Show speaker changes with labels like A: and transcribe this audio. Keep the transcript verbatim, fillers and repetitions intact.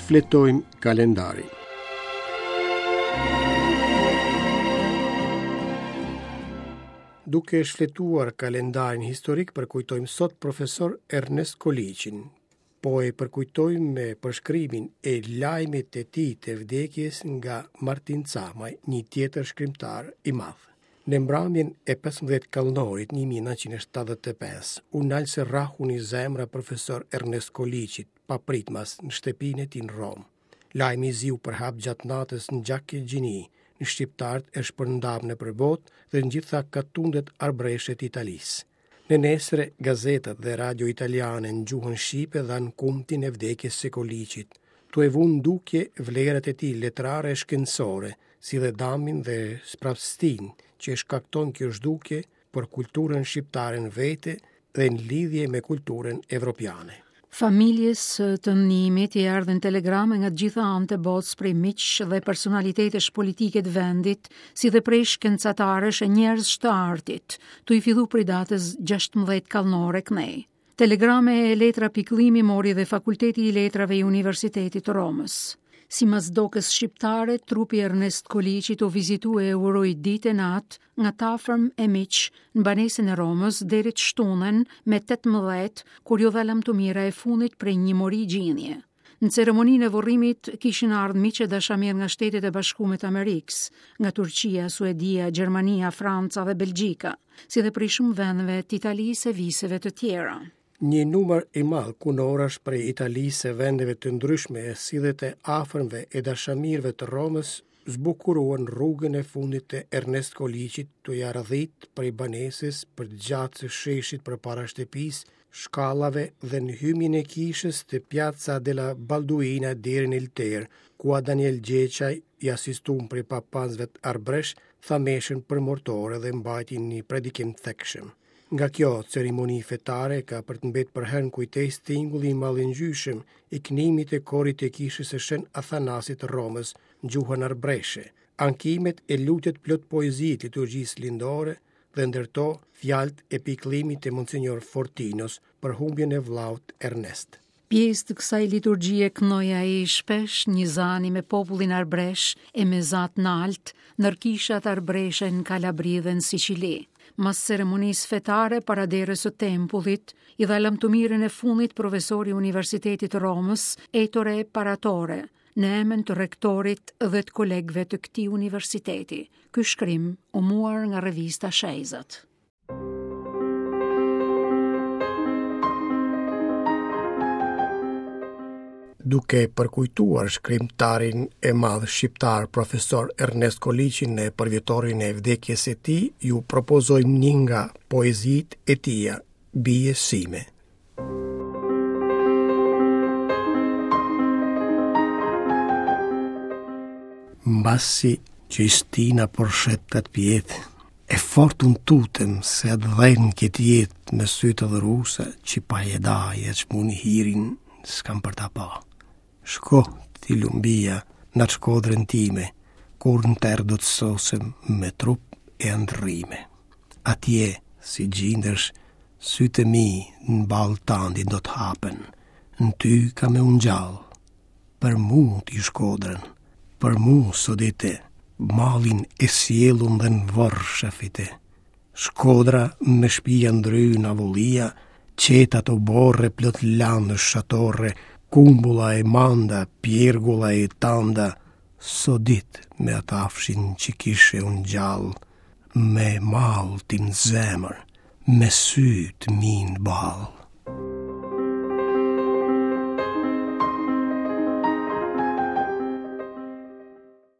A: Shfletojmë kalendarin. Duke shfletuar kalendarin historik, përkujtojmë sot profesor Ernest Koliqin. Po e përkujtojmë me përshkrimin e lajmit të tij të vdekjes nga Martin Camaj, një tjetër shkrimtar i madh. Në mbrëmjen e pesëmbëdhjetë kallnorit një mijë e nëntëqind e shtatëdhjetë e pesë, u nal së rrahuni zemra profesor Ernest Koliqit, papritmas në shtëpinë e tij në Romë. Lajmi i zi u përhap gjatë natës në gjak e gjini, në shqiptarët e shpërndarë nëpër botë dhe në gjitha katundet arbreshe të Italisë. Në nesër, gazetat dhe radio italiane në gjuhën shqipe dhanë kumtin e vdekjes së Koliqit, tu e vunë dukje vlerat e tij letrare e shkencore, si dhe damin dhe sprapstin që e shkakton kjo zhdukje për kulturën shqiptare në vete dhe në lidhje me kulturën evropiane.
B: Familjes të Nimit i erdhën telegrame nga të gjitha anët e botës prej miqsh dhe personalitetesh politike të vendit, si dhe prej shkencatarësh e njerëzsh të artit, tu i fillu prej datës gjashtëmbëdhjetë kallnore kënej. Telegrame e letra pikëllimi mori dhe Fakulteti i Letrave i Universitetit të Romës. Simas dokës shqiptare, trupi Ernest Koliqit u vizitu e uroi ditë e natë nga tafërm e miq në banesën e Romës deri të shtunën me tetëmbëdhjetë, kur ju dha lamtumira e fundit prej një mori gjinje. Në ceremoninë e vorrimit kishin ardhur miq e dashamirë nga Shtetet e Bashkuara të Amerikës, nga Turqia, Suedia, Gjermania, Franca dhe Belgjika, si dhe prej shumë vendeve të Italisë e viseve të tjera.
A: Një numër i madh kunorash prej Italisë e vendeve të ndryshme, si dhe të afërmve e dashamirëve të Romës, zbukuruan rrugën e fundit të Ernest Koliqit të ja radhit prej banesës për gjatë së sheshit përpara shtëpisë, shkallave dhe në hymjen e kishës të Piazza della Balduina deri në Ilter, ku a Daniel Gjeçaj i asistum prej papanzve të Arbresh, tha meshën për mortore dhe mbajti një predikim thekshëm. Nga kjo ceremoni fetare ka për të mbetë përherë në kujtesë tingulli i mallëngjyshëm i kënimit të korit të kishës së Shën Athanasit të Romës në gjuhën arbreshe, ankimet e lutjet plot poezi të liturgjisë lindore dhe ndërto fjalët e pikëllimit të Monsignor Fortinos për humbjen e vllaut Ernest.
B: Pjesë të kësaj liturgjie kënoi ai shpesh një zani me popullin arbresh e me zat nalt nër kishat arbreshe në Kalabri dhe në Sicili. Mas ceremonisë fetare para derës së tempullit, i dha lamtumirën e fundit profesori i Universitetit të Romës, Ettore Paratore, në emër të rektorit dhe të kolegëve të këtij universiteti. Ky shkrim u muar nga revista Shejzat.
A: Duke përkujtuar shkrimtarin e madh shqiptar profesor Ernest Koliqin në përvjetorin e vdekjes së tij, ju propozojmë një nga poezitë e tija, Bijës sime. Mbasi që i stina por shet atë pjetë, e fort unë tutem se atë dhenë këtë jetë me sy të dhrusa që pa e daje që muni hirin s'kam për ta pa. Shko ti lumbia në atë shkodrën time, kur në terë do të sosem me trup e ndrrime. Atje, si gjindësh, sytë e mi në ballë tandi do të hapen, në ty ka me ungjall. Për mu ti shkodrën, për mu sodite, mallin e sjellun dhe në vorr shefite. Shkodra me shpia ndryn avullia, qetat o borre plot lanë shatorre, kumbulla e manda, pjergulla e tanda, sodit me atë afshin që kishe unë gjallë, me mall tim zemër, me sy të mi në ballë.